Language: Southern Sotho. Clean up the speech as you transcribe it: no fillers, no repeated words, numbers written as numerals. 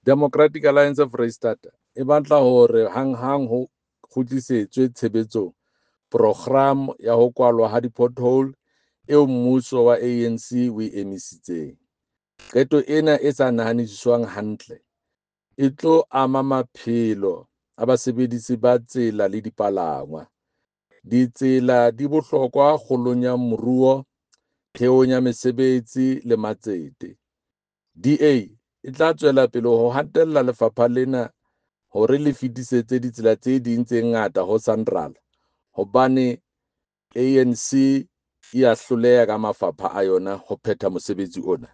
Democratic Alliance Foreisetata e batla hore hanghang ho kgutlisetswe tshebetsong programo ya ho kwalwa ha di-pothole eo mmuso wa ANC o e emisitseng. Qeto ena e sa nahanisiswang hantle e tlo ama maphelo a basebedisi ba tsela le dipalangwa. Ditsela di bohlokwa kgolong ya moruo, theong ya mesebetsi le matsete. DA e tla tswela pele ho hatella lefapha lena hore le fetisetse ditsela tse ding tse ngata ho SANRAL hobane ANC e a hloleha ka mafapha a yona ho phetha mosebetsi ona.